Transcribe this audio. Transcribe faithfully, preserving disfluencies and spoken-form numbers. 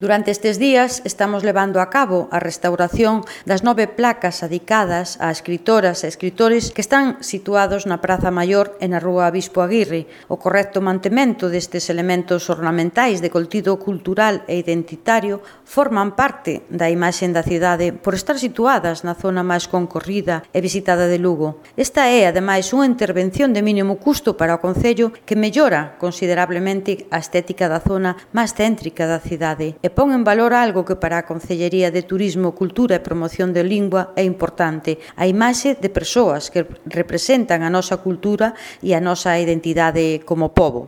Durante estes días estamos levando a cabo a restauración das nove placas adicadas a escritoras e escritores que están situados na Praza Maior e na Rúa Bispo Aguirre. O correcto mantemento destes elementos ornamentais de contido cultural e identitario forman parte da imaxe da cidade por estar situadas na zona máis concorrida e visitada de Lugo. Esta é, ademais, unha intervención de mínimo custo para o Concello que mellora considerablemente a estética da zona máis céntrica da cidade e pon en valor algo que para a Concellería de Turismo, Cultura e Promoción de Lingua é importante, a imaxe de persoas que representan a nosa cultura e a nosa identidade como pobo.